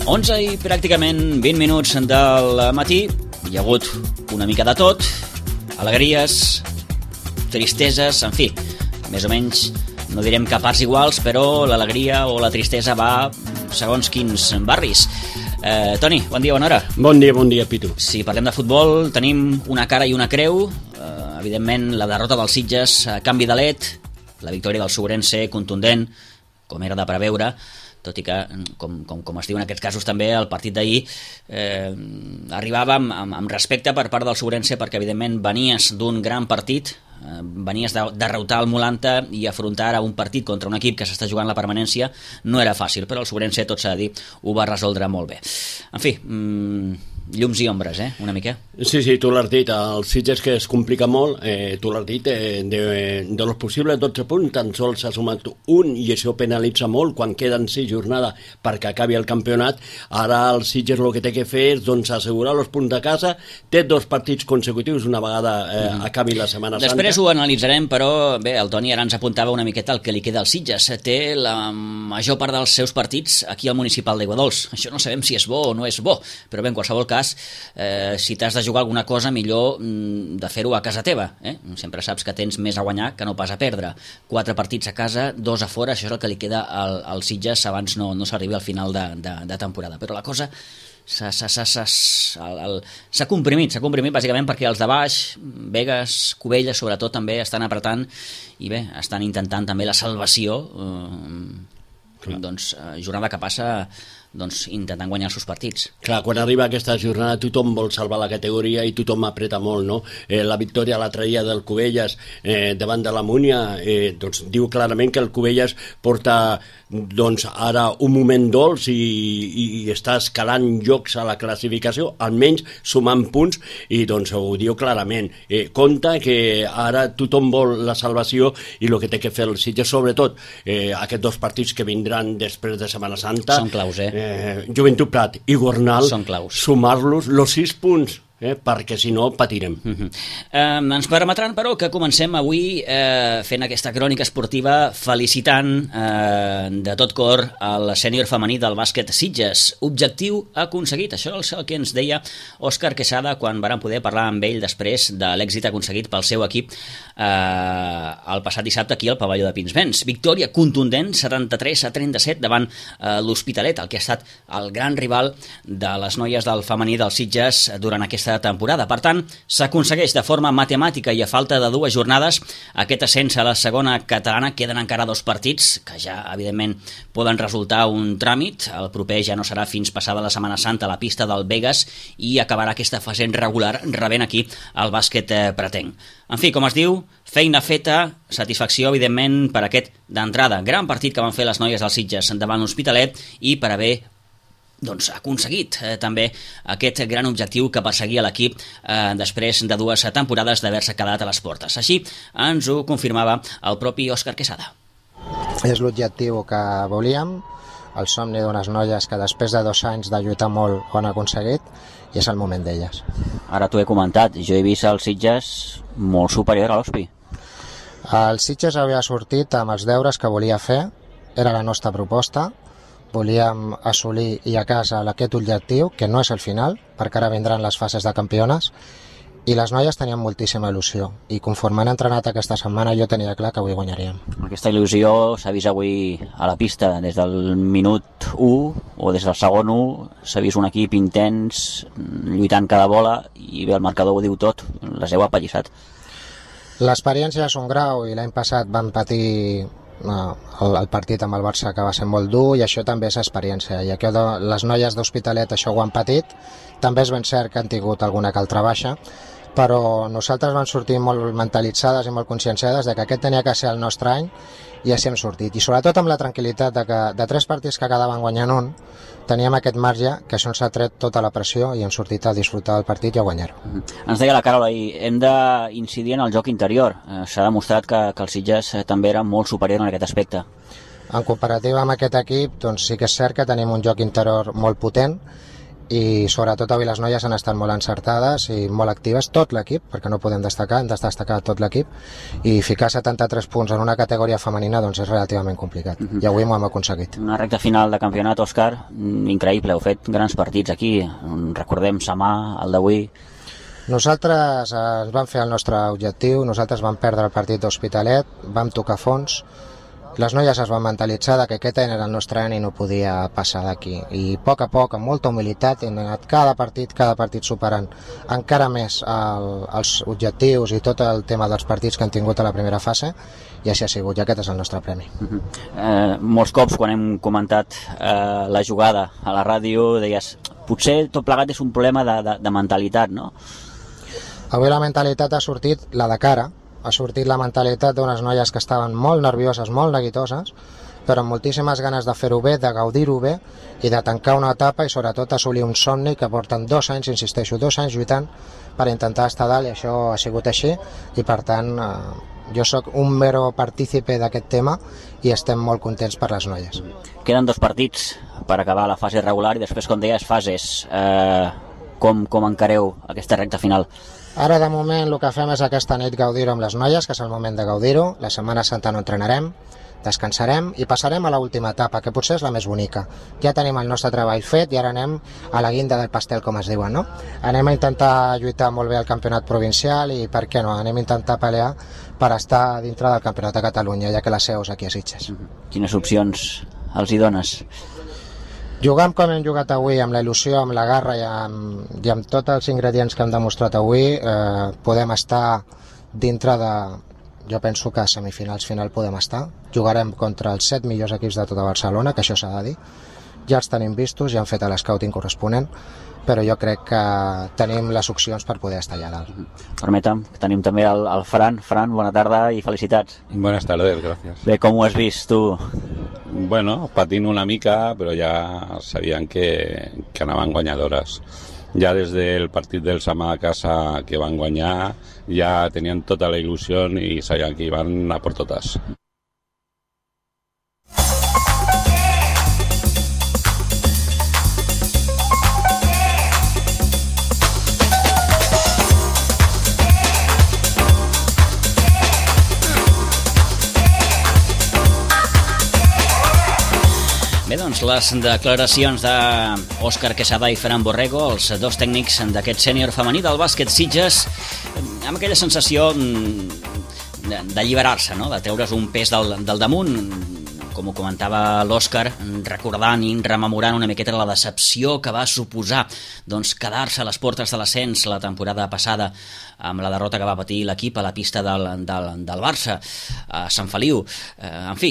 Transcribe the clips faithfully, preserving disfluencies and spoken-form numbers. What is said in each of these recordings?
onze i pràcticament vint minuts del matí. Hi ha hagut una mica de tot, alegries, tristeses, en fi, més o menys, no direm que a parts iguals, però l'alegria o la tristesa va segons quins barris. Eh, Toni, bon dia, bona hora. Bon dia, bon dia, Pitu. Si parlem de futbol, tenim una cara i una creu. Eh, evidentment, la derrota dels Sitges a canvi de led, la victòria del Sobrense contundent, com era de preveure, tot i que, com, com, com es diu en aquests casos també, el partit d'ahir eh, arribava amb, amb, amb respecte per part del Sobrense, perquè evidentment venies d'un gran partit, eh, venies de derrotar el Molanta i afrontar ara un partit contra un equip que s'està jugant la permanència no era fàcil, però el Sobrense, tot s'ha de dir, ho va resoldre molt bé. En fi, mmm, llums i ombres, eh? Una mica. Sí, sí, tu l'has dit, els Sitges que es complica molt, eh, tu l'has dit, eh, de, de los possibles dotze punts, tan sols s'ha sumat un i això penalitza molt quan queden sis jornades perquè acabi el campionat. Ara el Sitges el que té que fer és doncs, assegurar els punts de casa, té dos partits consecutius una vegada eh, mm. acabi la Setmana Santa. Després ho analitzarem, però bé, el Toni ara ens apuntava una miqueta el que li queda al Sitges. Té la major part dels seus partits aquí al municipal d'Aiguadols. Això no sabem si és bo o no és bo, però bé, en qualsevol cas, Eh, si t'has de jugar alguna cosa, millor mm, de fer-ho a casa teva, eh? Sempre saps que tens més a guanyar que no pas a perdre. Quatre partits a casa, dos a fora, això és el que li queda al, al Sitges abans no, no s'arribi al final de, de, de temporada, però la cosa s'ha comprimit, s'ha comprimit bàsicament perquè els de baix, Begues, Cubelles sobretot també estan apretant i bé, estan intentant també la salvació, eh, doncs eh, jornada que passa doncs intentant guanyar els seus partits. Clar, quan arriba aquesta jornada tothom vol salvar la categoria i tothom apreta molt, no? Eh, la victòria l'altre dia del Cubelles eh, davant de la Múnia eh, doncs diu clarament que el Cubelles porta doncs ara un moment dolç i, i, i està escalant llocs a la classificació, almenys sumant punts, i doncs ho diu clarament. Eh, compte que ara tothom vol la salvació i el que té que fer el Sitges, sobretot eh, aquests dos partits que vindran després de Setmana Santa, són claus, eh? Eh, Joventut Prat i Gornal, sumar-los los sis punts, eh, perquè si no patirem. Uh-huh. eh, ens permetran però que comencem avui eh, fent aquesta crònica esportiva felicitant eh, de tot cor el sènior femení del bàsquet Sitges. Objectiu aconseguit, això és el que ens deia Òscar Quesada quan vàrem poder parlar amb ell després de l'èxit aconseguit pel seu equip eh, el passat dissabte aquí al pavelló de Pinsbens. Victòria contundent, setanta-tres a trenta-set davant eh, l'Hospitalet, el que ha estat el gran rival de les noies del femení del Sitges durant aquesta temporada. Per tant, s'aconsegueix de forma matemàtica i a falta de dues jornades aquest ascens a la segona catalana. Queden encara dos partits que ja, evidentment, poden resultar un tràmit. El proper ja no serà fins passada la Setmana Santa a la pista del Begues i acabarà aquesta fase regular rebent aquí el bàsquet eh, pretenc. En fi, com es diu, feina feta, satisfacció, evidentment, per aquest d'entrada. Gran partit que van fer les noies del Sitges davant l'Hospitalet i per haver doncs ha aconseguit eh, també aquest gran objectiu que perseguia l'equip eh, després de dues temporades d'haver-se quedat a les portes. Així ens ho confirmava el propi Òscar Quesada. És l'objectiu que volíem, el somni d'unes noies que després de dos anys de lluitar molt ho han aconseguit i és el moment d'elles. Ara t'ho he comentat, jo he vist el Sitges molt superior a l'Hospi. El Sitges havia sortit amb els deures que volia fer, era la nostra proposta. Volíem assolir i a casa aquest objectiu, que no és el final, perquè ara vindran les fases de campiones, i les noies tenien moltíssima il·lusió, i conforme han entrenat aquesta setmana jo tenia clar que avui guanyaríem. Aquesta il·lusió s'ha vist avui a la pista, des del minut u o des del segon u, s'ha vist un equip intens, lluitant cada bola, i bé, el marcador ho diu tot, les heu apallissat. L'experiència és un grau, i l'any passat van patir el, el partit amb el Barça, que va ser molt dur, i això també és experiència, i aquí les noies d'Hospitalet això ho han patit. També és ben cert que han tingut alguna que altra baixa, però nosaltres vam sortir molt mentalitzades i molt conscienciades de que aquest tenia que ser el nostre any, i així hem sortit, i sobretot amb la tranquil·litat de que de tres partits que quedaven guanyant un teníem aquest marge, que això ens ha tret tota la pressió i hem sortit a disfrutar del partit i a guanyar-ho. Ens deia la Carola ahir, hem d'incidir en el joc interior. S'ha demostrat que, que el Sitges també era molt superior en aquest aspecte. En comparativa amb aquest equip, doncs sí que és cert que tenim un joc interior molt potent i sobretot avui les noies han estat molt encertades i molt actives, tot l'equip, perquè no podem destacar, hem de destacar tot l'equip, i ficar setanta-tres punts en una categoria femenina doncs és relativament complicat, uh-huh. I avui m'ho hem aconseguit. Una recta final de campionat, Òscar, increïble, heu fet grans partits aquí, recordem Samà, el d'avui. Nosaltres eh, ens vam fer el nostre objectiu, nosaltres vam perdre el partit d'Hospitalet, vam tocar fons, les noies es van mentalitzar que aquest any era el nostre any i no podia passar d'aquí. I a poc a poc, amb molta humilitat, hem anat cada partit, cada partit superant encara més el, els objectius i tot el tema dels partits que han tingut a la primera fase, i així ha sigut, i aquest és el nostre premi. Uh-huh. eh, molts cops, quan hem comentat eh, la jugada a la ràdio, deies, potser tot plegat és un problema de, de, de mentalitat, no? Avui la mentalitat ha sortit la de cara, ha sortit la mentalitat d'unes noies que estaven molt nervioses, molt neguitoses, però amb moltíssimes ganes de fer-ho bé, de gaudir-ho bé i de tancar una etapa i sobretot assolir un somni que porten dos anys, insisteixo, dos anys lluitant per intentar estar dalt, i això ha sigut així, i per tant eh, jo sóc un mero partícipe d'aquest tema i estem molt contents per les noies. Queden dos partits per acabar la fase regular i després, com deies, fases. Eh, com, com encareu aquesta recta final? Ara, de moment, el que fem és aquesta nit gaudir-ho amb les noies, que és el moment de gaudir-ho. La Setmana Santa no entrenarem, descansarem i passarem a l'última etapa, que potser és la més bonica. Ja tenim el nostre treball fet i ara anem a la guinda del pastel, com es diuen, no? Anem a intentar lluitar molt bé al campionat provincial i, per què no, anem a intentar pelear per estar dintre del campionat de Catalunya, ja que la seu és aquí a Sitges. Quines opcions els hi dones? Jugant com hem jugat avui, amb la il·lusió, amb la garra i amb, i amb tots els ingredients que hem demostrat avui, eh, podem estar dintre de... Jo penso que a semifinals final podem estar. Jugarem contra els set millors equips de tota Barcelona, que això s'ha de dir. Ja els tenim vistos, ja han fet l'escouting corresponent, però jo crec que tenim les opcions per poder estar allà dalt. Permetem, tenim també el, el Fran. Fran, bona tarda i felicitats. Buenas tardes, gracias. Bé, com ho has vist tu? Bueno, patint una mica, però ja sabien que, que anaven guanyadores. Ja des del partit del Samà a casa que van guanyar, ja tenien tota la il·lusió i sabien que iban a por totes. Bé, doncs, les declaracions d'Òscar Quesada i Fran Borrego, els dos tècnics d'aquest sènior femení del bàsquet Sitges, amb aquella sensació d'alliberar-se, no? De treure's un pes del, del damunt, com ho comentava l'Òscar, recordant i rememorant una miqueta la decepció que va suposar doncs, quedar-se a les portes de l'ascens la temporada passada amb la derrota que va patir l'equip a la pista del, del, del Barça, a Sant Feliu. Eh, en fi,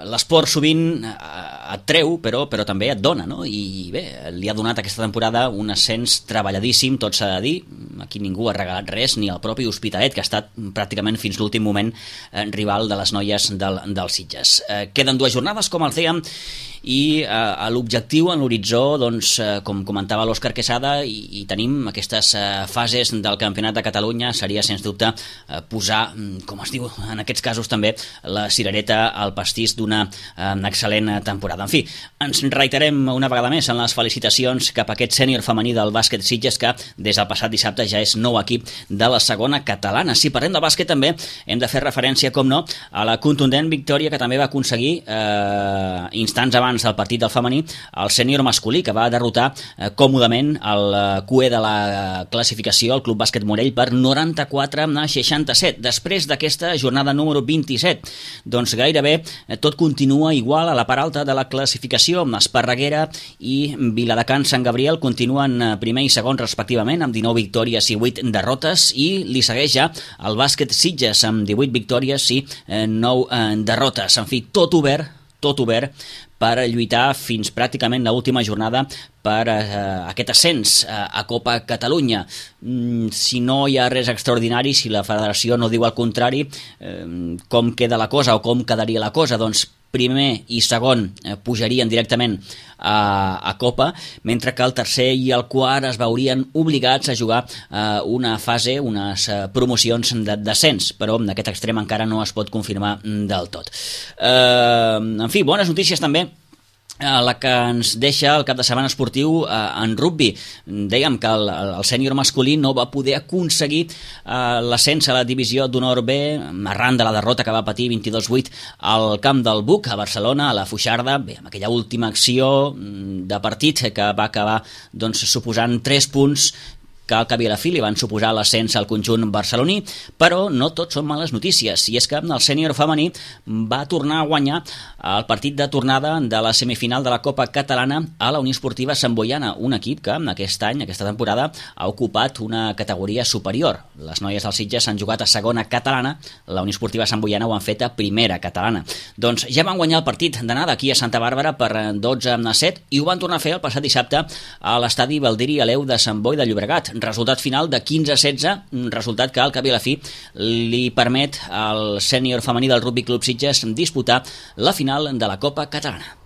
l'esport sovint et treu, però, però també et dona, no? I bé, li ha donat aquesta temporada un ascens treballadíssim, tot s'ha de dir. Aquí ningú ha regalat res, ni el propi Hospitalet, que ha estat pràcticament fins l'últim moment eh, rival de les noies del, del Sitges. Eh, queden dues jornades, com els dèiem, i eh, l'objectiu en l'horitzó, doncs, eh, com comentava l'Òscar Quesada, i, i tenim aquestes eh, fases del Campionat de Catalunya, seria sens dubte eh, posar, com es diu en aquests casos també, la cirereta al pastís d'una eh, excel·lent temporada. En fi, ens reiterem una vegada més en les felicitacions cap a aquest sènior femení del bàsquet Sitges, que des del passat dissabte ja és nou equip de la segona catalana. Si parlem de bàsquet també hem de fer referència, com no, a la contundent victòria que també va aconseguir eh, instants abans del partit del femení el sènior masculí, que va derrotar eh, còmodament el eh, cué de la classificació, el Club Bàsquet Morell, per noranta-quatre a seixanta-set. Després d'aquesta jornada número vint-i-set, doncs gairebé eh, tot continua igual a la part alta de la classificació. Esparreguera i Viladecans Sant Gabriel continuen eh, primer i segon respectivament, amb dinou victòries i vuit derrotes, i li segueix ja el bàsquet Sitges amb divuit victòries i eh, nou eh, derrotes. En fi, tot obert, tot obert per lluitar fins pràcticament l'última jornada per eh, aquest ascens eh, a Copa Catalunya. Mm, si no hi ha res extraordinari, si la federació no diu el contrari, eh, com queda la cosa o com quedaria la cosa? Doncs primer i segon eh, pujarien directament a, a Copa, mentre que el tercer i el quart es veurien obligats a jugar eh, una fase, unes eh, promocions de descens, però en aquest extrem encara no es pot confirmar del tot. Eh, en fi, bones notícies també la que ens deixa el cap de setmana esportiu eh, en rugbi. Dèiem que el, el sènior masculí no va poder aconseguir eh, l'ascens a la divisió d'honor B arran de la derrota que va patir vint-i-dos vuit al camp del Buc a Barcelona, a la Fuixarda, bé, amb aquella última acció de partit que va acabar doncs, suposant tres punts que al cap i a la fi li van suposar l'ascens al conjunt barceloní, però no tot són males notícies, i és que el sènior femení va tornar a guanyar el partit de tornada de la semifinal de la Copa Catalana a la Unió Esportiva Sant Boiana, un equip que aquest any, aquesta temporada, ha ocupat una categoria superior. Les noies del Sitges han jugat a segona catalana, la Unió Esportiva Sant Boiana ho han fet a primera catalana. Doncs ja van guanyar el partit d'anada aquí a Santa Bàrbara per dotze a set i ho van tornar a fer el passat dissabte a l'estadi Baldiri Aleu de Sant Boi de Llobregat. Resultat final de quinze a setze, resultat que al cap i a la fi li permet al sènior femení del Rugby Club Sitges disputar la final de la Copa Catalana.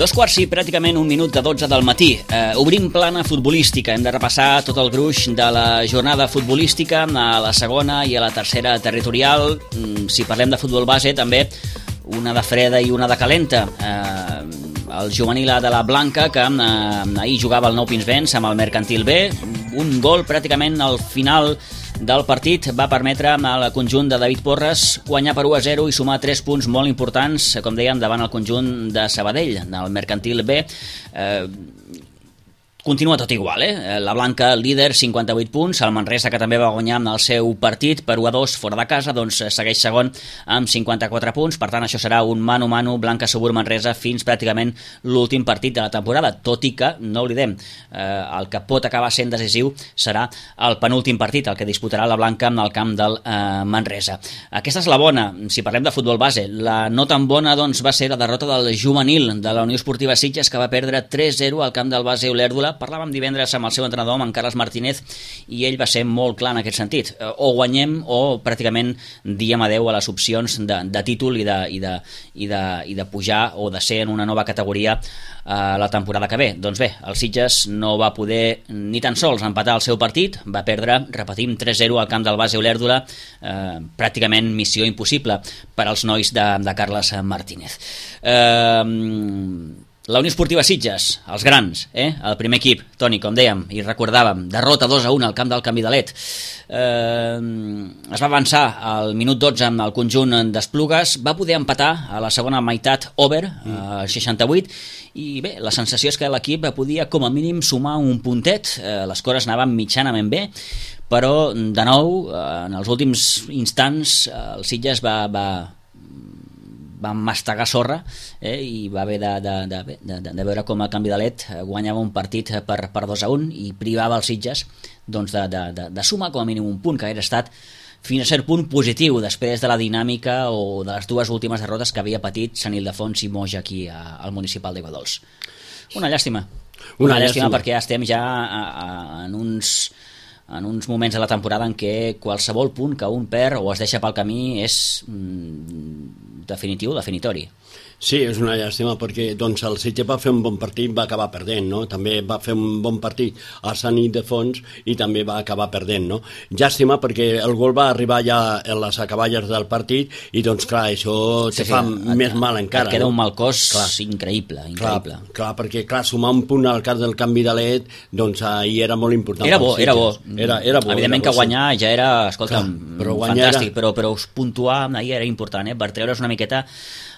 Dos quarts i pràcticament un minut de dotze del matí. Eh, obrim plana futbolística. Hem de repassar tot el gruix de la jornada futbolística a la segona i a la tercera territorial. Mm, si parlem de futbol base, també una de freda i una de calenta. Eh, el juvenil A de la Blanca, que eh, ahir jugava el Nou Pinsbens amb el Mercantil B. Un gol pràcticament al final del partit va permetre al conjunt de David Porres guanyar per u a zero i sumar tres punts molt importants, com dèiem, davant el conjunt de Sabadell, del Mercantil B. Eh, Continua tot igual, eh? La Blanca líder, cinquanta-vuit punts, el Manresa, que també va guanyar amb el seu partit per u a dos fora de casa, doncs segueix segon amb cinquanta-quatre punts, per tant això serà un mano-mano Blanca Subur Manresa fins pràcticament l'últim partit de la temporada, tot i que, no oblidem, eh, el que pot acabar sent decisiu serà el penúltim partit, el que disputarà la Blanca en el camp del eh, Manresa. Aquesta és la bona, si parlem de futbol base. La no tan bona doncs, va ser la derrota del juvenil de la Unió Esportiva Sitges, que va perdre tres a zero al camp del base Olèrdola. Parlàvem divendres amb el seu entrenador, amb en Carles Martínez, i ell va ser molt clar en aquest sentit. O guanyem o pràcticament diem adeu a les opcions de, de títol i de, i, de, i, de, i de pujar o de ser en una nova categoria eh, la temporada que ve. Doncs bé, el Sitges no va poder ni tan sols empatar el seu partit, va perdre, repetim, tres a zero al camp del base Olèrdola, eh, pràcticament missió impossible per als nois de, de Carles Martínez. Eh... La Unió Esportiva Sitges, els grans, eh? El primer equip, Toni, com dèiem, i recordàvem, derrota dos a un al camp del Camí d'Alet. Eh, es va avançar al minut dotze amb el conjunt d'Esplugues, va poder empatar a la segona meitat over, al seixanta-vuit, i bé, la sensació és que l'equip podia com a mínim sumar un puntet, eh, les coses anaven mitjanament bé, però de nou, en els últims instants, el Sitges va... va va mastegar sorra eh, i va haver de, de, de, de, de veure com el Canvi de Let guanyava un partit per, per dos a un i privava els Sitges doncs, de, de, de, de sumar com a mínim un punt, que hauria estat fins a cert punt positiu després de la dinàmica o de les dues últimes derrotes que havia patit Sant Ildefons i Moja aquí a, al municipal d'Aiguadols. Una llàstima. Una, una llàstima, llàstima perquè ja estem ja a, a, en uns... en uns moments de la temporada en què qualsevol punt que un perd o es deixa pel camí és mm, definitiu, definitori. Sí, és una llàstima perquè doncs, el Sitges va fer un bon partit, va acabar perdent, no? També va fer un bon partit a Sant Ildefons i també va acabar perdent, no? Llàstima perquè el gol va arribar ja a les acaballes del partit i doncs clar, això te sí, fa sí, més et, mal encara. Et queda no? un mal cos clar. increïble, increïble. Clar, clar, perquè clar, sumar un punt al cas del Canvi de Let, doncs ahir era molt important. Era bo, era bo. Era, era bo. Evidentment era bo, que guanyar sí. ja era, escolta'm, clar, però fantàstic, era... però, però puntuar ahir era important, eh? Per treure's una miqueta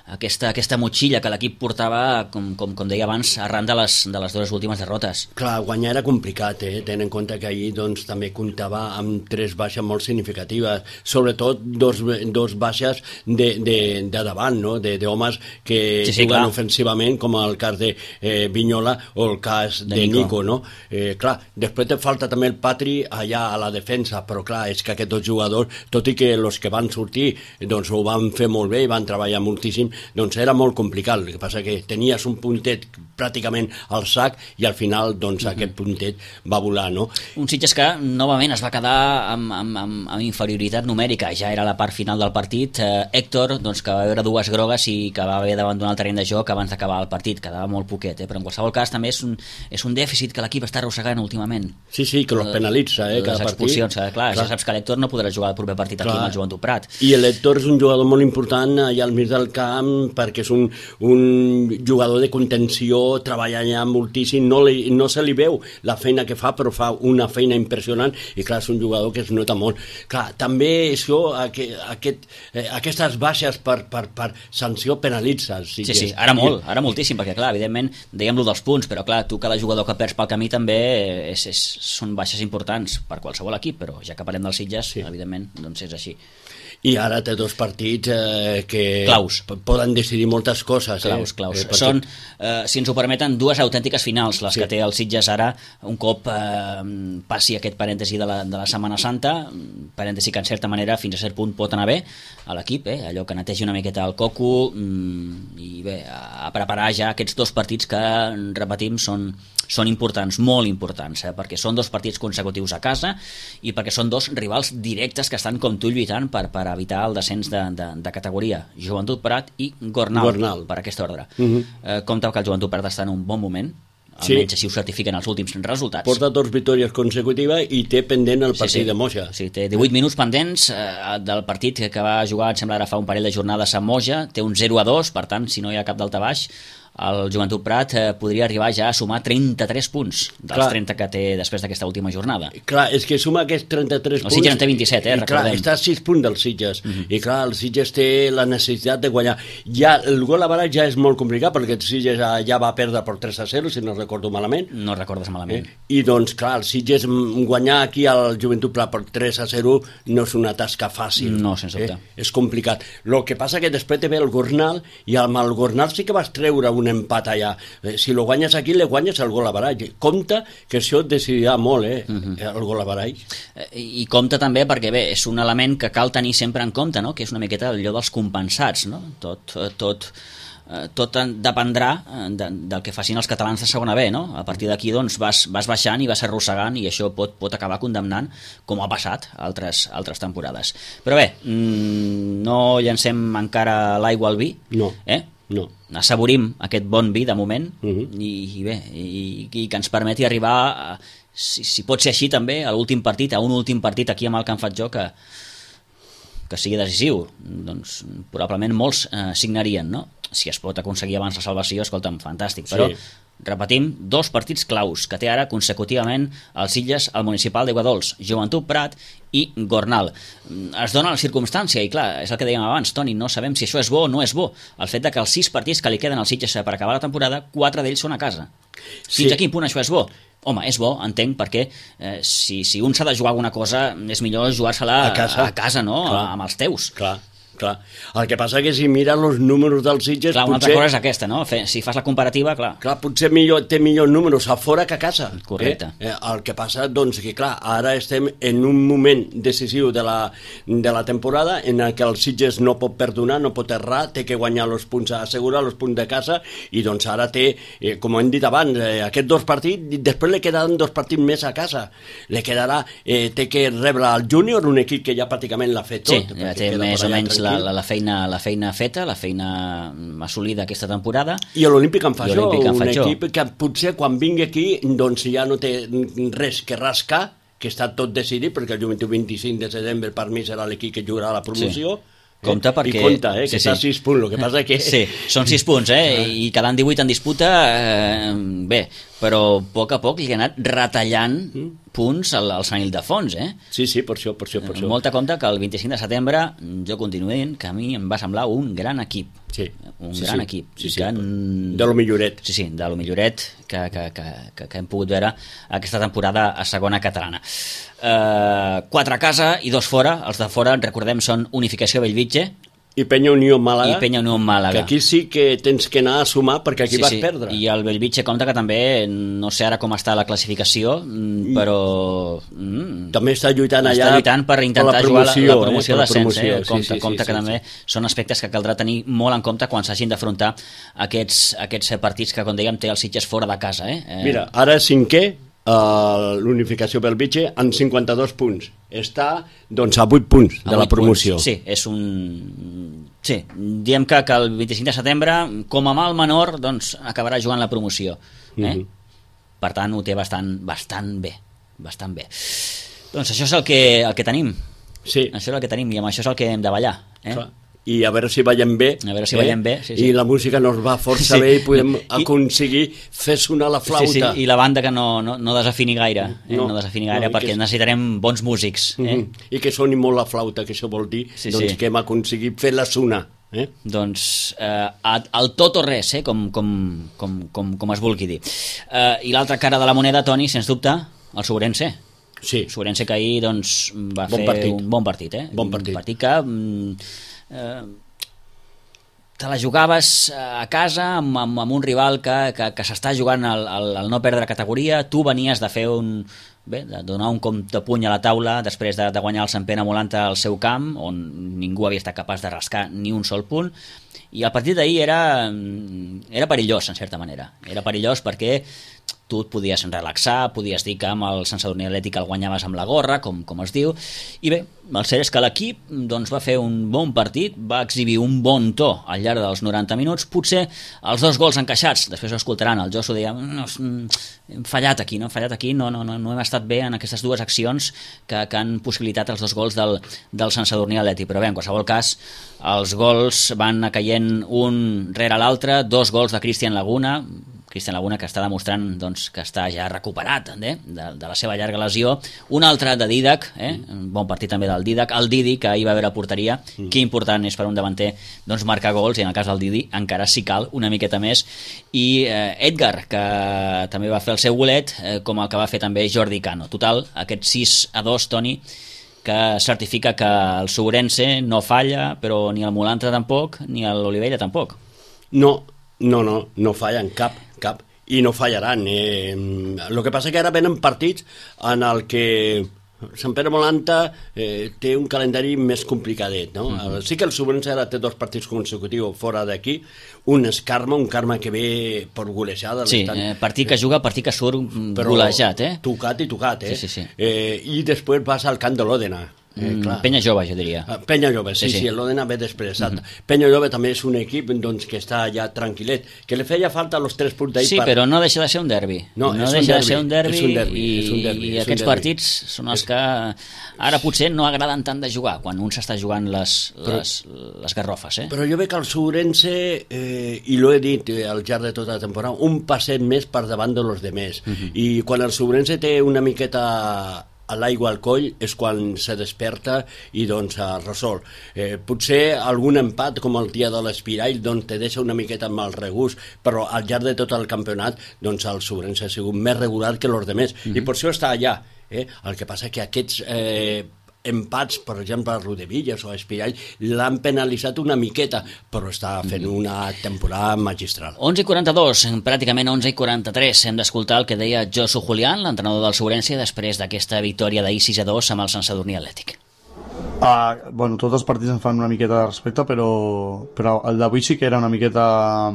aquesta, aquesta motxilla que l'equip portava, com, com, com deia abans, arran de les, de les dues últimes derrotes. Clar, guanyar era complicat, eh? Tenint en compte que ahir doncs, també comptava amb tres baixes molt significatives, sobretot dos, dos baixes de, de, de davant, no? de, de homes que sí, sí, juguen clar. ofensivament, com el cas de eh, Vignola o el cas de, de Nico. Nico no? eh, clar, després te falta també el Patri allà a la defensa, però clar, és que aquests dos jugadors, tot i que els que van sortir doncs, ho van fer molt bé i van treballar moltíssim, doncs era molt complicat. El que passa que tenies un puntet pràcticament al sac i al final doncs, uh-huh. aquest puntet va volar, no? Un Sitges que novament es va quedar amb, amb, amb, amb inferioritat numèrica, ja era la part final del partit. eh, Héctor, doncs, que va veure dues grogues i que va haver d'abandonar el terreny de joc abans d'acabar el partit, quedava molt poquet, eh? Però en qualsevol cas també és un, és un dèficit que l'equip està arrossegant últimament. Sí, sí, que los penalitza, eh, cada les expulsions, partit. Eh, clar, clar, ja saps que l'Héctor no podrà jugar el proper partit clar. Aquí amb el Joventut Prat. I l'Héctor és un jugador molt important allà al mig del camp perquè és un, un jugador de contenció, treballa allà moltíssim, no, li, no se li veu la feina que fa, però fa una feina impressionant i clar, és un jugador que es nota molt. Clar, també això, aquest, aquest, eh, aquestes baixes per, per, per sanció penalitza. Sí, sí, sí, ara molt, ara moltíssim, perquè clar, evidentment, dèiem-lo dels punts, però clar, tu cada jugador que perds pel camí també és, és, són baixes importants per qualsevol equip, però ja que parlem dels Sitges, sí. evidentment, doncs és així. I ara té dos partits eh, que claus. Poden decidir moltes coses. Claus, eh? claus. Eh, perquè... Són, eh, si ens ho permeten, dues autèntiques finals, les sí. que té el Sitges ara, un cop eh, passi aquest parèntesi de la, de la Setmana Santa, parèntesi que en certa manera fins a cert punt pot anar bé a l'equip, eh? Allò que netegi una miqueta el coco mm, i bé, a, a preparar ja aquests dos partits que, repetim, són, són importants, molt importants, eh? Perquè són dos partits consecutius a casa i perquè són dos rivals directes que estan com tu lluitant per, per evitar el descens de, de, de categoria. Joventut Prat i Gornal, Gornal. Per aquesta ordre. Uh-huh. eh, compte que el Joventut Prat està en un bon moment, almenys sí. així ho certifiquen els últims resultats. Porta dos victòries consecutives i té pendent el partit sí, sí. de Moja. Sí, té divuit minuts pendents eh, del partit que va jugar, em sembla, ara fa un parell de jornades a Moja, té un zero a dos, per tant, si no hi ha cap daltabaix, el Joventut Prat eh, podria arribar ja a sumar trenta-tres punts dels clar. trenta que té després d'aquesta última jornada. Clar, és que suma aquests trenta-tres punts... El Sitges en té vint-i-set, eh, recordem. Clar, està a sis punts del Sitges, uh-huh. i clar, el Sitges té la necessitat de guanyar. Ja, el gol a barat ja és molt complicat, perquè el Sitges ja va perdre per tres a zero, si no recordo malament. No recordes malament. Eh? I doncs, clar, el Sitges guanyar aquí al Joventut Prat per tres a zero no és una tasca fàcil. No, sense dubte. Eh? És complicat. El que passa que després te ve el Gornal, i amb el Gornal sí que vas treure un empat allà. Si lo guanyes aquí, le guanyes el gol a barall. Compte que això et decidirà molt, eh, uh-huh. el gol a barall. I compte també perquè, bé, és un element que cal tenir sempre en compte, no? Que és una miqueta allò dels compensats, no? Tot, tot, tot dependrà de, del que facin els catalans de segona B, no? A partir d'aquí, doncs, vas, vas baixant i vas arrossegant i això pot, pot acabar condemnant, com ha passat altres, altres temporades. Però bé, no llancem encara l'aigua al vi, no. eh? No. Assaborim aquest bon vi de moment uh-huh. i, i bé, i, i que ens permeti arribar a, si, si pot ser així també, a l'últim partit, a un últim partit aquí amb el Can Fatjó que, que sigui decisiu. Doncs probablement molts eh, signarien, no? Si es pot aconseguir abans la salvació, escolta'm, fantàstic, però sí. Repetim, dos partits claus que té ara consecutivament el Sitges, el municipal d'Aiguadols, Joventut Prat i Gornal. Es dona la circumstància i clar, és el que dèiem abans, Toni, no sabem si això és bo o no és bo, el fet de que els sis partits que li queden al Sitges per acabar la temporada, quatre d'ells són a casa. Fins sí. a quin punt això és bo? Home, és bo, entenc, perquè eh, si, si un s'ha de jugar alguna cosa, és millor jugar-se-la a casa, a casa no? Clar. Amb els teus. Clar. Clar. El que passa que si mires els números dels Sitges... Clar, una potser... altra cosa és aquesta, no? Si fas la comparativa, clar... Clar, potser millor, té millors números a fora que a casa. Correcte. Eh? Eh, el que passa, doncs, que clar, ara estem en un moment decisiu de la, de la temporada en el que el Sitges no pot perdonar, no pot errar, té que guanyar els punts, assegurar els punts de casa, i doncs ara té, eh, com hem dit abans, eh, aquests dos partits, després li quedaran dos partits més a casa. Li quedarà, eh, té que rebre el Júnior, un equip que ja pràcticament l'ha fet tot. Sí, ja té més o menys La, la, la, feina, la feina feta, la feina assolida aquesta temporada. I l'Olímpic en Fatjó, un Fatjó. equip que potser quan vingui aquí doncs ja no té res que rascar, que està tot decidit, perquè el Joventut vint-i-cinc de setembre per mi serà l'equip que jugarà a la promoció. Sí. Compte perquè... I compte, eh, que sí, està a sí. sis punts, el que passa que... Sí, són sis punts, eh, i quedant divuit en disputa, eh, bé, però a poc a poc li ha anat retallant punts al, al Sant Ildefons, eh? Sí, sí, per això, per això, per això. Molta compte que el vint-i-cinc de setembre jo continuo dient que a mi em va semblar un gran equip. Sí. Un sí, gran sí. equip. Sí, sí. Que... De lo milloret. Sí, sí, de lo milloret que, que, que, que, que hem pogut veure aquesta temporada a segona catalana. Uh, quatre a casa i dos fora. Els de fora, recordem, són Unificació Bellvitge, I Penya Unió Màlaga. I Penya Unió Màlaga. Que aquí sí que tens que anar a sumar perquè aquí sí, vas sí. perdre. I el Bellvitge compta que també, no sé ara com està la classificació, però... Mm, també està lluitant allà... Està lluitant per intentar per jugar la, la promoció eh? d'ascens. Eh? Sí, Compte, sí, sí, compte sí, que sí, també sí. són aspectes que caldrà tenir molt en compte quan s'hagin d'afrontar aquests, aquests partits que, com dèiem, té el Sitges fora de casa. Eh? Eh... Mira, ara cinquè, Uh, l'unificació Bellvitge amb cinquanta-dos punts, està doncs a vuit punts de la promoció. Punts. Sí, és un... Sí, diem que, que el vint-i-cinc de setembre com a mal menor doncs acabarà jugant la promoció, eh? Mm-hmm. Per tant ho té bastant, bastant bé bastant bé. Doncs això és el que, el que tenim, sí. Això és el que tenim i amb això és el que hem de ballar, eh? Clar. I a veure si veiem bé, a veure si eh? veiem bé sí, sí. I la música nos va força sí. bé i podem I, aconseguir fer sonar la flauta. Sí, sí. I la banda que no, no, no desafini gaire, eh? no, no desafini gaire no, perquè que... necessitarem bons músics. Eh? Mm-hmm. I que soni molt la flauta, que això vol dir sí, doncs, sí. que hem aconseguit fer-la sonar. Eh? Doncs eh, al tot o res, eh? com, com, com, com, com es vulgui dir. Eh, I l'altra cara de la moneda, Toni, sens dubte, el Sobrense. Sí. Sobrense que ahir doncs, va bon fer partit. un bon partit. Eh? Bon partit. Un partit que... Eh, te la jugaves a casa amb, amb, amb un rival que, que, que s'està jugant al, al, al no perdre categoria, tu venies de fer un... Bé, de donar un cop de puny a la taula després de, de guanyar el Sant Pere Molanta al seu camp, on ningú havia estat capaç de rascar ni un sol punt, i el partit d'ahir era, era perillós, en certa manera. Era perillós perquè tu et podies relaxar, podies dir que amb el Sant Sadurní Atlètic el guanyaves amb la gorra, com, com es diu, i bé, el cert és que l'equip doncs, va fer un bon partit, va exhibir un bon to al llarg dels noranta minuts, potser els dos gols encaixats, després ho escoltaran, el Josu deia, no, hem fallat aquí, no hem fallat aquí, no, no, no, no hem estat bé en aquestes dues accions que, que han possibilitat els dos gols del, del Sant Sadurní Atlètic, però bé, en qualsevol cas, els gols van anar caient un rere l'altre, dos gols de Cristian Laguna, Cristian Laguna que està demostrant doncs, que està ja recuperat eh, de, de la seva llarga lesió, un altre de Didac, eh, un bon partit també del Didac, el Didi que ahir va haver la porteria, mm. que important és per un davanter doncs, marcar gols, i en el cas del Didi encara si cal una miqueta més, i eh, Edgar que també va fer el seu golet, eh, com el que va fer també Jordi Cano. Total, aquest sis a dos, Toni, que certifica que el Sobrense no falla, però ni el Molanta tampoc, ni l'Olivella tampoc. No, no, no, no fallen cap, cap, i no fallaran. Eh, el que passa que ara venen partits en el que Sant Pere Molanta eh, té un calendari més complicadet, no? Mm-hmm. Sí que el Sobrense ara té dos partits consecutius fora d'aquí, un és Carme, un Carme que ve per golejada. Sí, eh, partit que juga, partit que surt golejat, eh? Tocat i tocat, eh? Sí, sí, sí. Eh, I després vas al camp de l'Òdena. Eh, mm, Penya Jove, jo diria. Penya Jove, sí, sí, sí, sí l'Òdena ve després. Mm-hmm. Penya Jove també és un equip doncs, que està ja tranquil·let, que li feia falta els tres punts d'ahir. Sí, per... però no deixa de ser un derbi. No, no deixa de ser un derbi, un derbi, i, un derbi i aquests partits són els que ara potser no agraden tant de jugar, quan un s'està jugant les, les, però, les garrofes. Eh? Però jo veig que el Sobrense, eh, i l'ho he dit al llarg de tota la temporada, un passet més per davant de los demés. Mm-hmm. I quan el Sobrense té una miqueta a l'aigua al coll és quan se desperta i doncs es resol. Eh, potser algun empat com el dia de l'Espirall doncs te deixa una miqueta amb el regust, però al llarg de tot el campionat doncs el Sobrense ha sigut més regular que els demés, mm-hmm. i per això està allà. Eh? El que passa que aquests eh, empats, per exemple a Rodevillas o a Espirall, l'han penalitzat una miqueta, però està fent una temporada magistral. onze i quaranta-dos, pràcticament onze i quaranta-tres, hem d'escoltar el que deia Josu Julián, l'entrenador del Sobrense, després d'aquesta victòria d'ahir sis a dos amb el Sant Sadurní Atlètic. Uh, bueno, tots els partits em fan una miqueta de respecte, però, però el d'avui sí que era una miqueta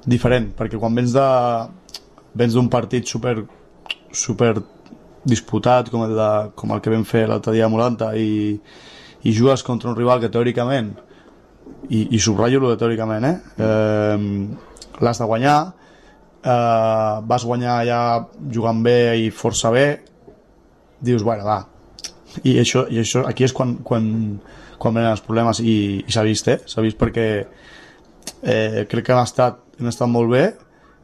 diferent, perquè quan vens de vens d'un partit super, super disputat com el, de, com el que vam fer l'altre dia a Molanta i, i jugues contra un rival que teòricament, i, i subratllo lo de teòricament, eh? eh l'has de guanyar, eh, vas guanyar ja jugant bé i força bé, dius, bueno, va, i això, i això aquí és quan, quan, quan venen els problemes, i, i s'ha vist, eh? S'ha vist perquè eh, crec que han estat, han estat molt bé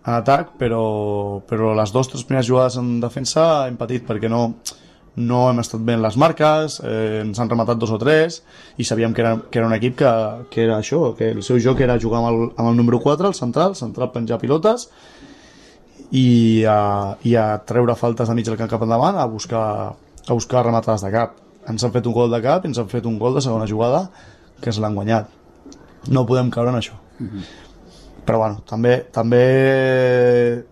en atac, però, però les dues tres primeres jugades en defensa hem patit perquè no, no hem estat bé en les marques, eh, ens han rematat dos o tres i sabíem que era, que era un equip que, que era això, que el seu joc era jugar amb el, amb el número quatre, el central, central penjar pilotes i a, i a treure faltes de mig del camp cap endavant, a buscar, a buscar rematades de cap. Ens han fet un gol de cap i ens han fet un gol de segona jugada que es l'han guanyat. No podem caure en això. Mm-hmm. Però bueno, també també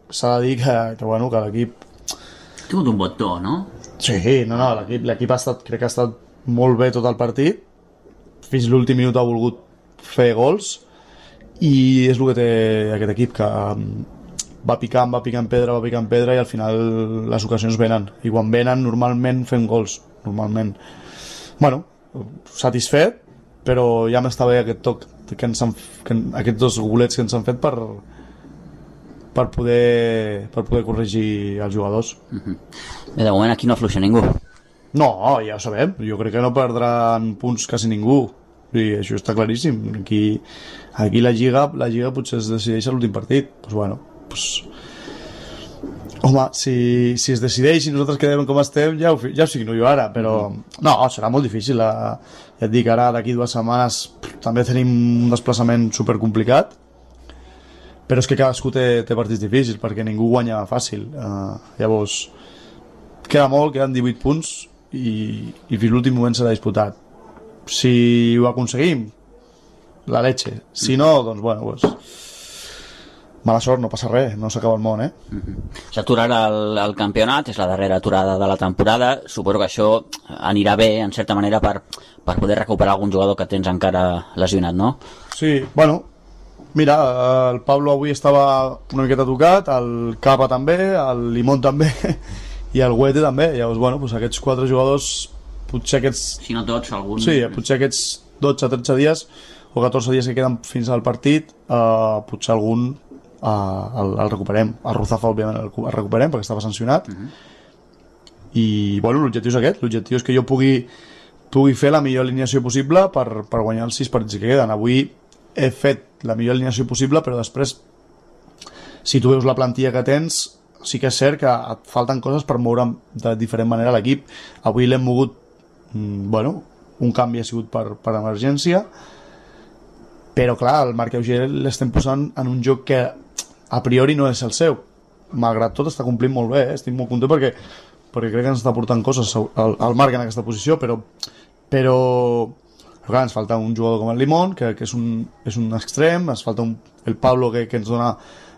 s'ha de dir que, que, bueno, que l'equip ha tingut un bon to, no? Sí, no, no, l'equip, l'equip ha estat, crec que ha estat molt bé tot el partit, fins l'últim minut ha volgut fer gols, i és el que té aquest equip, que va picant, va picant pedra, va picant pedra, i al final les ocasions venen, i quan venen normalment fem gols, normalment. Bueno, satisfet, però ja m'està bé aquest toc que ens han, que, aquests dos golets que ens han fet per per poder per poder corregir els jugadors. Uh-huh. Bé, de moment aquí no afluixa ningú. No, ja ho sabem, jo crec que no perdran punts quasi ningú, i això està claríssim. Aquí, aquí la Lliga la Lliga potser es decideix a l'últim partit, doncs bueno, doncs home, si, si es decideix i nosaltres quedem com estem, ja ho, ja ho signo jo ara, però no, serà molt difícil. La, ja et dic, ara d'aquí dues setmanes pff, també tenim un desplaçament supercomplicat, però és que cadascú té, té partits difícils, perquè ningú guanya fàcil. Uh, llavors, queda molt, queden divuit punts, i, i fins l'últim moment serà disputat. Si ho aconseguim, la leche. Si no, doncs bueno, pues, mala sort, no passa res, no s'acaba el món, eh? Mm-hmm. S'aturarà el, el campionat, és la darrera aturada de la temporada, suposo que això anirà bé, en certa manera, per, per poder recuperar algun jugador que tens encara lesionat, no? Sí, bueno, mira, el Pablo avui estava una miqueta tocat, el Capa també, el Limón també, i el Huete també, llavors, bueno, doncs aquests quatre jugadors, potser aquests... Si no tots, algun... Sí, potser aquests dotze a tretze dies, o catorze dies que queden fins al partit, eh, potser algun Uh, el, el recuperem. El Ruzafa òbviament el, el recuperem perquè estava sancionat. Uh-huh. I bueno, l'objectiu és aquest, l'objectiu és que jo pugui pugui fer la millor alineació possible per, per guanyar els sis partits que queden. Avui he fet la millor alineació possible, però després, si tu veus la plantilla que tens, sí que és cert que et falten coses per moure de diferent manera l'equip. Avui l'hem mogut, mm, bueno, un canvi ha sigut per, per emergència, però clar, el Marc Auger l'estem posant en un joc que a priori no és el seu. Malgrat tot està complint molt bé, eh? Estic molt content perquè, perquè crec que ens està portant coses al, al Marc en aquesta posició, però però, però clar, ens falta un jugador com el Limón, que, que és, un, és un extrem, ens falta un, el Pablo que, que ens dona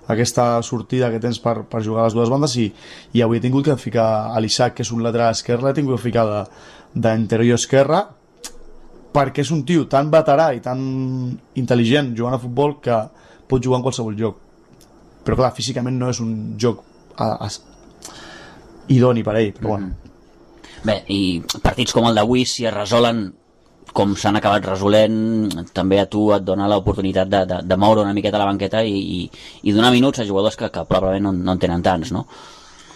aquesta sortida que tens per, per jugar a les dues bandes, i, i avui he tingut que ficar a l'Isaac, que és un lateral esquerre, l'he tingut que ficar d'interior esquerre, perquè és un tio tan veterà i tan intel·ligent jugant a futbol que pot jugar en qualsevol joc, però clar, físicament no és un joc a, a, idoni per ell, però bueno. Bé, i partits com el d'avui, si es resolen com s'han acabat resolent, també a tu et dona l'oportunitat de, de, de moure una miqueta la banqueta i, i, i donar minuts a jugadors que, que probablement no, no en tenen tants, no?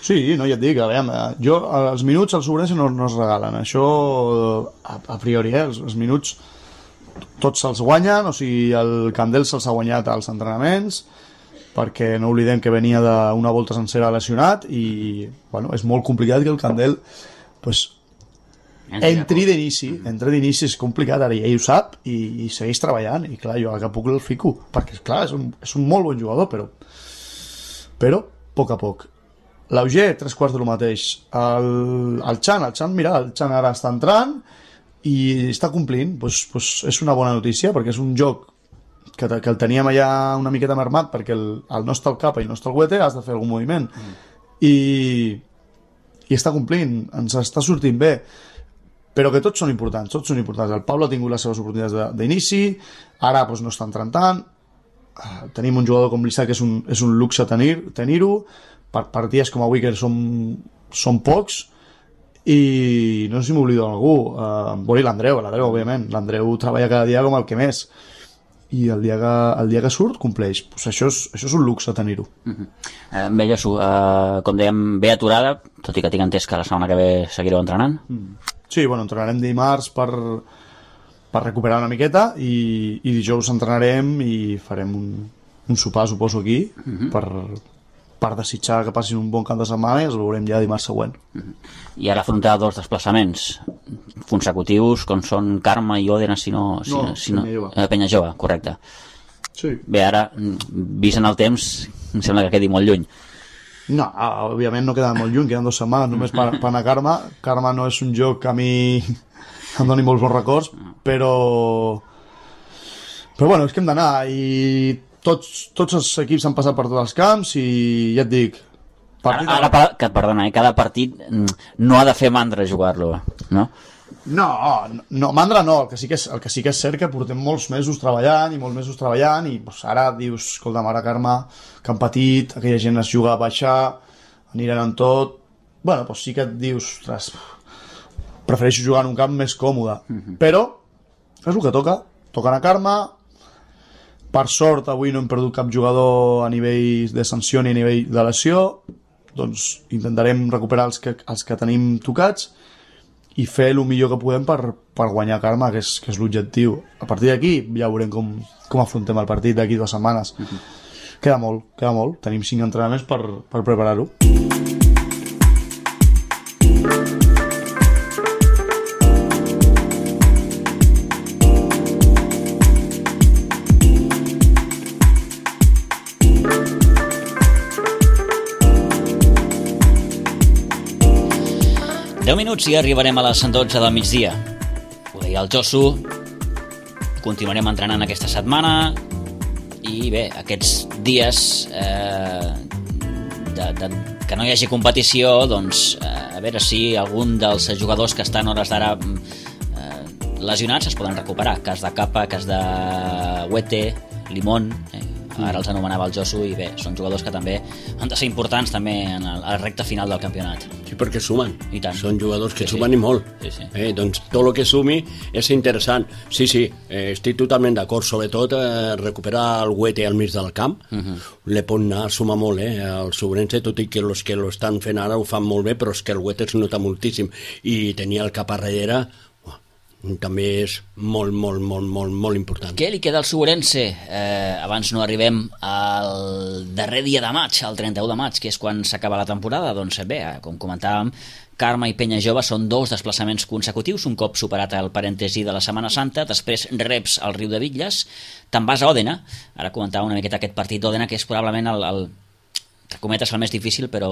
Sí, no, ja et dic, a veure, jo els minuts als Sobrense no, no es regalen, això a, a priori, eh? els, els minuts tots se'ls guanyen, o sigui, el Candel se'ls ha guanyat als entrenaments, perquè no oblidem que venia d'una volta sencera lesionat, i bueno, és molt complicat que el Candel pues, entri d'inici, entri d'inici és complicat, ara ell ho sap, i, i segueix treballant, i clar, jo a que puc el fico, perquè clar, és un, és un molt bon jugador, però però, a poc a poc. L'Auger, tres quarts de lo mateix. El, el Chan, el Chan, mira, el Chan ara està entrant i està complint, pues, pues és una bona notícia, perquè és un joc que, que el teníem allà una miqueta mermat, perquè el, el no està el Capa i no està el Huete, has de fer algun moviment. Mm. I, i està complint, ens està sortint bé, però que tots són importants, tots són importants. El Pablo ha tingut les seves oportunitats d'inici, ara pues, no està entrant tant, uh, tenim un jugador com l'Isaac que és un, és un luxe tenir, tenir-ho, per partides com avui que som, som pocs, i no sé si m'oblido d'algú, uh, bueno, l'Andreu, l'Andreu, òbviament, l'Andreu treballa cada dia com el que més, i el dia que, el dia que surt compleix, pues això, és, això és un luxe tenir-ho. Uh-huh. eh, Bé, Jesús, uh, com dèiem, bé aturada, tot i que tinc entès que la setmana que ve seguireu entrenant. Mm. Sí, bueno, entrenarem dimarts per, per recuperar una miqueta, i, i dijous entrenarem i farem un, un sopar, suposo, aquí, uh-huh. per... per desitjar que passin un bon cap de setmana, i els veurem ja dimarts següent. Uh-huh. I ara afrontar dos desplaçaments consecutius, com són Carme i Òdena, si no... Si no, no, si no Penyajove. Eh, Penyajove, correcte. Sí. Bé, ara, vist en el temps, em sembla que quedi molt lluny. No, òbviament no queda molt lluny, queden dues setmanes només per, per anar a Carme. Carme no és un joc que a mi em doni molts bons records, però, Però bueno, és que hem d'anar i tots, tots els equips han passat per tots els camps i ja et dic... Partit... Ara, ara, que, perdona, eh? Cada partit no ha de fer mandra jugar-lo, no? No, no, mandra no, el que, sí que és, el que sí que és cert que portem molts mesos treballant i molts mesos treballant i pues, ara dius, escolta, mare Carme, que han patit, aquella gent es juga a baixar, aniran en tot... Bueno, pues sí que et dius, ostres, prefereixo jugar en un camp més còmode, uh-huh. Però és el que toca, toca anar a Carme. Per sort avui no hem perdut cap jugador a nivell de sanció ni a nivell de lesió, doncs intentarem recuperar els que, els que tenim tocats i fer el millor que podem per, per guanyar Carme, que és, que és l'objectiu. A partir d'aquí ja veurem com, com afrontem el partit d'aquí dues setmanes. Uh-huh. Queda molt, queda molt. Tenim cinc entrenaments per, per preparar-ho. deu minuts i arribarem a les dotze del migdia. Ho deia el Josu, continuarem entrenant aquesta setmana i bé, aquests dies eh, de, de, que no hi hagi competició, doncs eh, a veure si algun dels jugadors que estan hores d'ara eh, lesionats es poden recuperar. Cas de Capa, cas de Huete, Limón, eh, ara els anomenava el Josu, i bé, són jugadors que també han de ser importants també en el, a la recta final del campionat. Sí, perquè sumen. I tant. Són jugadors que sí, sumen sí. i molt. Sí, sí. Eh, doncs tot el que sumi és interessant. Sí, sí, eh, estic totalment d'acord. Sobretot eh, recuperar el Huete al mig del camp. Uh-huh. Le pot anar a sumar molt, eh, el Sobrense, tot i que els que lo estan fent ara ho fan molt bé, però és que el Huete es nota moltíssim. I tenir el cap a darrere també és molt, molt, molt, molt, molt important. Què li queda al Sobrense? Eh, abans no arribem al darrer dia de maig, al trenta-u de maig, que és quan s'acaba la temporada. Doncs bé, com comentàvem, Carme i Penya Jove són dos desplaçaments consecutius, un cop superat el parèntesi de la Setmana Santa, després reps al Riu de Bitlles, te'n vas a Òdena. Ara comentava una miqueta aquest partit d'Òdena, que és probablement el, el entre cometes el més difícil, però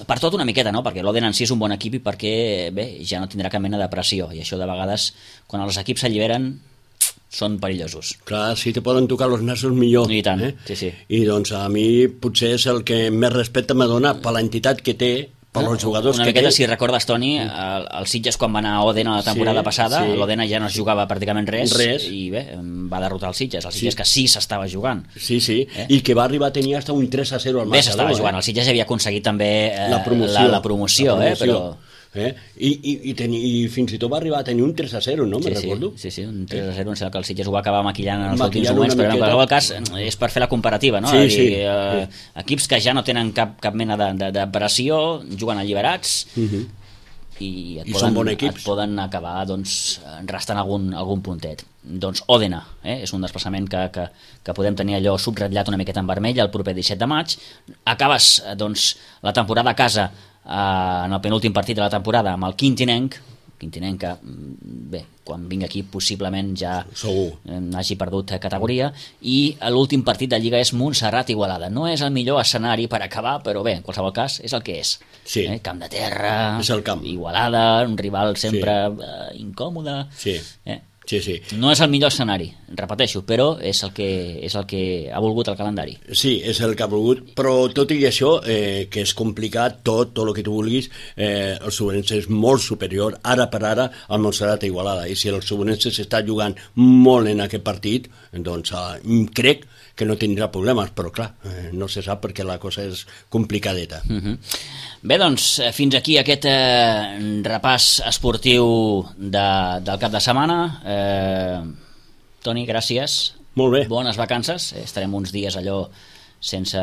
per tot una miqueta, no? Perquè l'Òdena en si és un bon equip i perquè bé, ja no tindrà cap mena de pressió, i això de vegades quan els equips s'alliberen són perillosos. Clar, si te poden tocar els nassos millor. I tant, eh? sí, sí. I doncs a mi potser és el que més respecte m'ha donat per l'entitat que té, per els jugadors una que miqueta, té. si recordes, Toni, el, el Sitges quan va anar a Òdena la temporada sí, passada, sí. l'Òdena ja no es jugava pràcticament res, res. I bé, va derrotar el Sitges, el Sitges sí. Que sí s'estava jugant. Sí, sí, eh? I que va arribar a tenir hasta un tres a zero al marcador. Bé, s'estava eh? jugant, el Sitges havia aconseguit també eh, la promoció, la, la promoció, la promoció. Eh, però... Eh? I, i, i, teni, i fins i tot va arribar a tenir un tres a zero, no? Sí, Me sí, recordo. sí, sí, un tres a zero, em sembla que el Sitges ho va acabar maquillant en els Maquillant últims moments, però en qualsevol cas és per fer la comparativa, no? Sí, dir, sí, eh, sí. Equips que ja no tenen cap, cap mena de, de, de pressió, juguen alliberats, uh-huh. i, et, I poden, són bons equips. et poden acabar doncs, restant algun, algun puntet. Doncs Òdena, eh? És un desplaçament que, que, que podem tenir allò subratllat una miqueta en vermell el proper disset de maig. Acabes doncs, la temporada a casa en el penúltim partit de la temporada amb el Quintinenc, Quintinenc que, bé, quan vingui aquí possiblement ja Segur. hagi perdut categoria, i l'últim partit de Lliga és Montserrat-Igualada. No és el millor escenari per acabar, però bé, en qualsevol cas és el que és. Sí. Eh? Camp de terra, és el camp. Igualada, un rival sempre sí. eh, incòmode. Sí. Eh? Sí, sí. No és el millor escenari, repeteixo, però és el que, és el que ha volgut el calendari. Sí, és el que ha volgut, però tot i això, eh, que és complicat, tot, tot el que tu vulguis, eh, el Sobrense és molt superior, ara per ara, al Montserrat Igualada, i si el Sobrense s'està jugant molt en aquest partit, doncs eh, crec que no tindrà problemes, però clar, eh, no se sap perquè la cosa és complicadeta. Uh-huh. Bé, doncs, fins aquí aquest eh, repàs esportiu de, del cap de setmana. Eh, Toni, gràcies. Molt bé. Bones vacances. Estarem uns dies allò sense,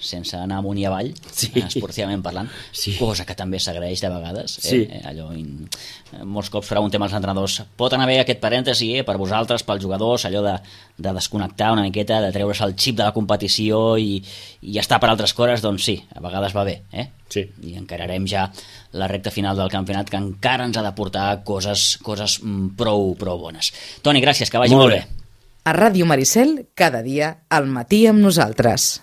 sense anar amunt i avall, sí. esportivament parlant, sí. cosa que també s'agraeix de vegades. Sí. Eh? Allò, in, molts cops preguntem als entrenadors, pot anar bé aquest parèntesi eh, per vosaltres, pels jugadors, allò de, de desconnectar una miqueta, de treure's el xip de la competició i, i estar per altres coses, doncs sí, a vegades va bé. Eh? Sí. I encararem ja la recta final del campionat, que encara ens ha de portar coses, coses prou, prou bones. Toni, gràcies, que vagi molt, molt bé. bé. A Ràdio Maricel, cada dia, al matí amb nosaltres.